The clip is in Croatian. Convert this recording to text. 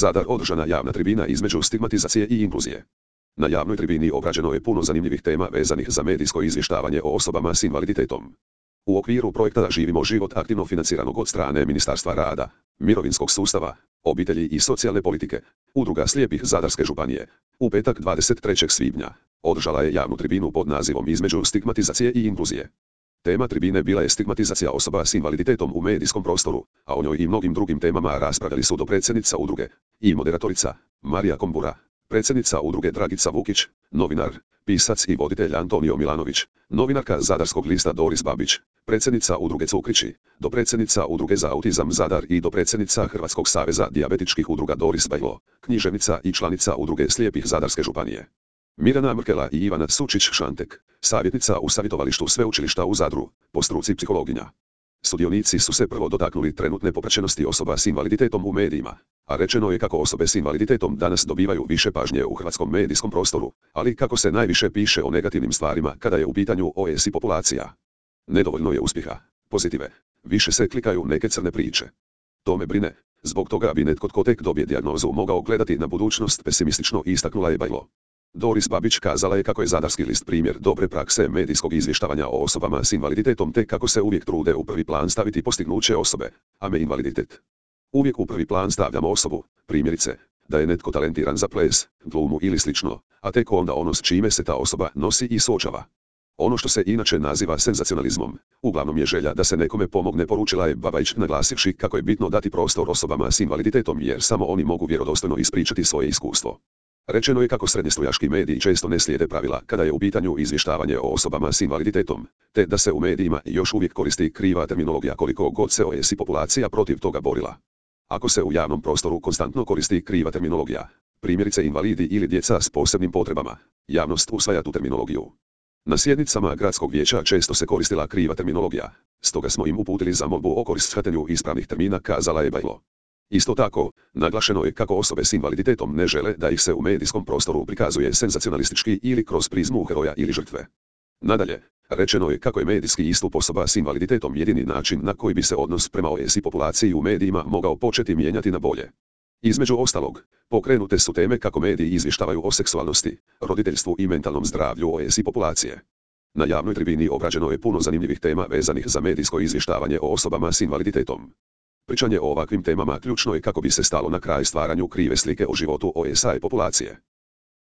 Zadar održana javna tribina između stigmatizacije i inkluzije. Na javnoj tribini obrađeno je puno zanimljivih tema vezanih za medijsko izvještavanje o osobama s invaliditetom. U okviru projekta Živimo život aktivno financiranog od strane Ministarstva rada, mirovinskog sustava, obitelji i socijalne politike, Udruga slijepih Zadarske županije, u petak 23. svibnja, održala je javnu tribinu pod nazivom Između stigmatizacije i inkluzije. Tema tribine bila je stigmatizacija osoba s invaliditetom u medijskom prostoru, a o njoj i mnogim drugim temama raspravljali su dopredsjednica udruge i moderatorica Marija Kombura, predsjednica udruge Dragica Vukić, novinar, pisac i voditelj Antonio Milanović, novinarka Zadarskog lista Doris Babić, predsjednica udruge Cukrići, dopredsjednica udruge za autizam Zadar i dopredsjednica Hrvatskog saveza dijabetičkih udruga Doris Bajlo, književnica i članica udruge slijepih Zadarske županije. Mirjana Mrkela i Ivana Sučić-Šantek, savjetnica u savjetovalištu sveučilišta u Zadru, po struci psihologinja. Sudionici su se prvo dotaknuli trenutne popraćenosti osoba s invaliditetom u medijima, a rečeno je kako osobe s invaliditetom danas dobivaju više pažnje u hrvatskom medijskom prostoru, ali kako se najviše piše o negativnim stvarima kada je u pitanju OS i populacija. Nedovoljno je uspjeha, pozitive, više se klikaju neke crne priče. To me brine, zbog toga bi netko tko tek dobije dijagnozu mogao gledati na budućnost pesimistično, istaknula je Bajlo. Doris Babić kazala je kako je Zadarski list primjer dobre prakse medijskog izvještavanja o osobama s invaliditetom te kako se uvijek trude u prvi plan staviti postignuće osobe, a ne invaliditet. Uvijek u prvi plan stavljamo osobu, primjerice, da je netko talentiran za ples, glumu ili slično, a tek onda ono s čime se ta osoba nosi i suočava. Ono što se inače naziva senzacionalizmom, uglavnom je želja da se nekome pomogne, poručila je Babić naglasivši kako je bitno dati prostor osobama s invaliditetom jer samo oni mogu vjerodostojno ispričati svoje iskustvo. Rečeno je kako srednjestrujački mediji često ne slijede pravila kada je u pitanju izvještavanje o osobama s invaliditetom, te da se u medijima još uvijek koristi kriva terminologija koliko god se OS i populacija protiv toga borila. Ako se u javnom prostoru konstantno koristi kriva terminologija, primjerice invalidi ili djeca s posebnim potrebama, javnost usvaja tu terminologiju. Na sjednicama gradskog vijeća često se koristila kriva terminologija, stoga smo im uputili zamolbu o korištenju ispravnih termina, kazala je Bajlo. Isto tako, naglašeno je kako osobe s invaliditetom ne žele da ih se u medijskom prostoru prikazuje senzacionalistički ili kroz prizmu heroja ili žrtve. Nadalje, rečeno je kako je medijski istup osoba s invaliditetom jedini način na koji bi se odnos prema OS i populaciji u medijima mogao početi mijenjati na bolje. Između ostalog, pokrenute su teme kako mediji izvještavaju o seksualnosti, roditeljstvu i mentalnom zdravlju OS i populacije. Na javnoj tribini obrađeno je puno zanimljivih tema vezanih za medijsko izvještavanje o osobama s invaliditetom. Pričanje o ovakvim temama ključno je kako bi se stalo na kraj stvaranju krive slike o životu OS-a i populacije.